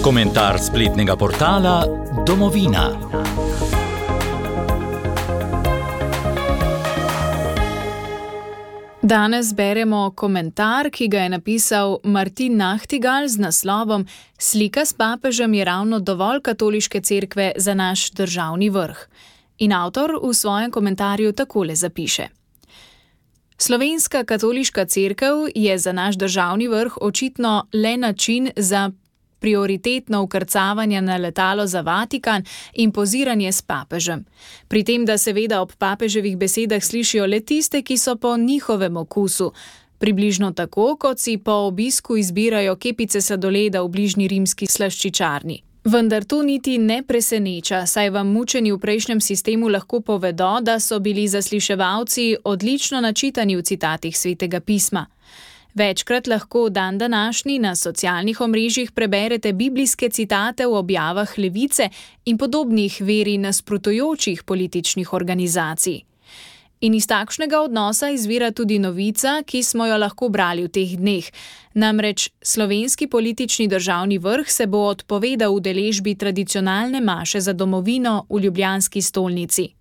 Komentar spletnega portala Domovina. Danes beremo komentar, ki ga je napisal Martin Nachtigal z naslovom Slika s papežem je ravno dovolj katoliške cerkve za naš državni vrh. In avtor v svojem komentarju takole zapiše. Slovenska katoliška cerkev je za naš državni vrh očitno le način za prioritetno vkrcavanje na letalo za Vatikan in poziranje s papežem. Pri tem, da seveda ob papeževih besedah slišijo le tiste, ki so po njihovem okusu. Približno tako, kot si po obisku izbirajo kepice sladoleda v bližnji rimski slaščičarni. Vendar to niti ne preseneča, saj vam mučeni v prejšnjem sistemu lahko povedo, da so bili zasliševalci odlično načitani v citatih Svetega pisma. Večkrat lahko dan današnji na socialnih omrežjih preberete biblijske citate v objavah Levice in podobnih veri nasprotujočih političnih organizacij. In iz takšnega odnosa izvira tudi novica, ki smo jo lahko brali v teh dneh. Namreč slovenski politični državni vrh se bo odpovedal udeležbi tradicionalne maše za domovino v ljubljanski stolnici.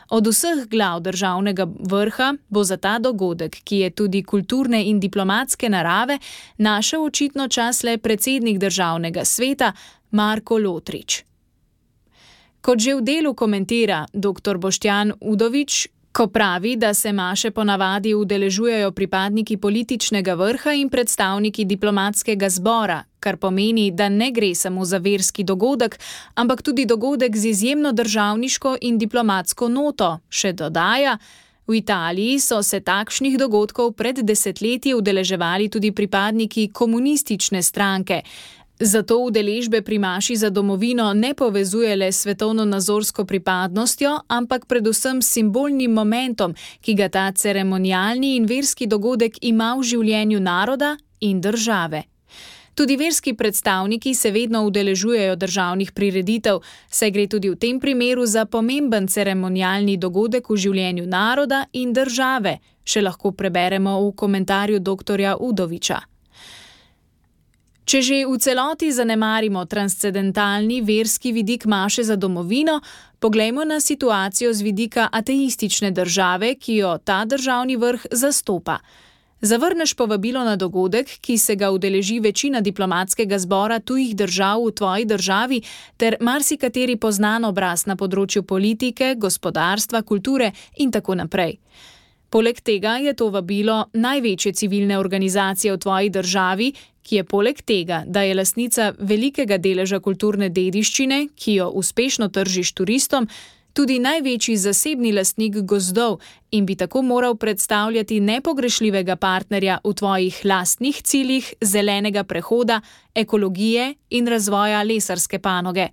Od vseh glav državnega vrha bo za ta dogodek, ki je tudi kulturne in diplomatske narave, našel očitno čas le predsednik državnega sveta Marko Lotrič. Kot že v delu komentira dr. Boštjan Udovič, ko pravi, da se maše ponavadi udeležujejo pripadniki političnega vrha in predstavniki diplomatskega zbora, kar pomeni, da ne gre samo za verski dogodek, ampak tudi dogodek z izjemno državniško in diplomatsko noto, še dodaja. V Italiji so se takšnih dogodkov pred desetletji udeleževali tudi pripadniki komunistične stranke. Zato udeležbe pri maši za domovino ne povezuje le s svetovno-nazorsko pripadnostjo, ampak predvsem s simbolnim momentom, ki ga ta ceremonialni in verski dogodek ima v življenju naroda in države. Tudi verski predstavniki se vedno udeležujejo državnih prireditev, saj gre tudi v tem primeru za pomemben ceremonialni dogodek v življenju naroda in države, še lahko preberemo v komentarju dr. Udoviča. Če že v celoti zanemarimo transcendentalni verski vidik maše za domovino, poglejmo na situacijo z vidika ateistične države, ki jo ta državni vrh zastopa. Zavrneš povabilo na dogodek, ki se ga udeleži večina diplomatskega zbora tujih držav v tvoji državi ter marsikateri poznan obraz na področju politike, gospodarstva, kulture in tako naprej. Poleg tega je to vabilo največje civilne organizacije v tvoji državi, ki je poleg tega, da je lastnica velikega deleža kulturne dediščine, ki jo uspešno tržiš turistom, tudi največji zasebni lastnik gozdov in bi tako moral predstavljati nepogrešljivega partnerja v tvojih lastnih ciljih zelenega prehoda, ekologije in razvoja lesarske panoge.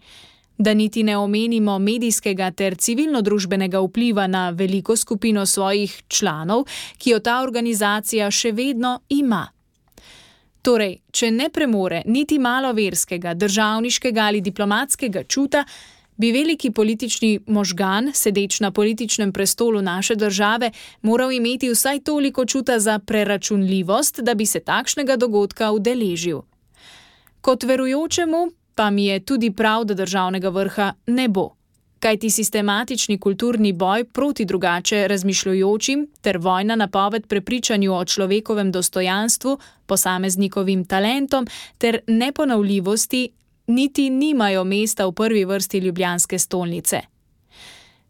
Da niti ne omenimo medijskega ter civilno-družbenega vpliva na veliko skupino svojih članov, ki jo ta organizacija še vedno ima. Torej, če ne premore niti malo verskega, državniškega ali diplomatskega čuta, bi veliki politični možgan, sedeč na političnem prestolu naše države, moral imeti vsaj toliko čuta za preračunljivost, da bi se takšnega dogodka udeležil. Kot verujočemu pa mi je tudi prav, da državnega vrha ne bo. Kajti sistematični kulturni boj proti drugače razmišljujočim ter vojna napoved prepričanju o človekovem dostojanstvu, posameznikovim talentom ter neponovljivosti niti nimajo mesta v prvi vrsti ljubljanske stolnice.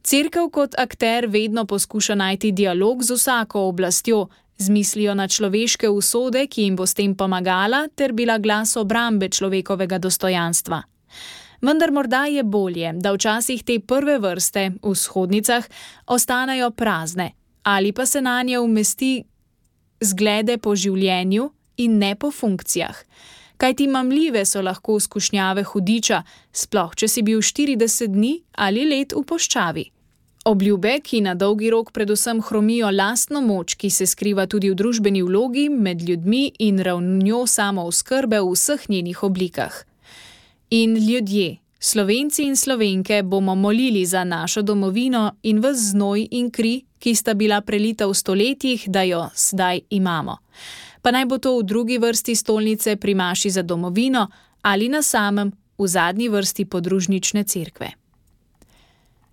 Cerkev kot akter vedno poskuša najti dialog z vsako oblastjo, z mislijo na človeške usode, ki jim bo s tem pomagala ter bila glas obrambe človekovega dostojanstva. Vendar morda je bolje, da včasih te prve vrste v shodnicah ostanejo prazne ali pa se nanje umesti zglede po življenju in ne po funkcijah. Kajti mamljive so lahko skušnjave hudiča, sploh če si bil 40 dni ali let v puščavi. Obljube, ki na dolgi rok predvsem hromijo lastno moč, ki se skriva tudi v družbeni vlogi med ljudmi in ravnjo samooskrbe v vseh njenih oblikah. In ljudje, Slovenci in Slovenke, bomo molili za našo domovino in ves znoj in kri, ki sta bila prelita v stoletjih, da jo zdaj imamo. Pa naj bo to v drugi vrsti stolnice pri maši za domovino ali na samem v zadnji vrsti podružnične cerkve.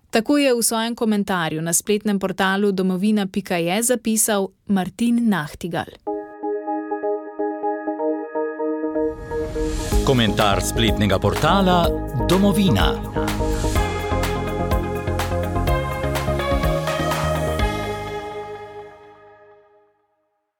Tako je v svojem komentarju na spletnem portalu domovina.je zapisal Martin Nachtigal. Komentar spletnega portala Domovina.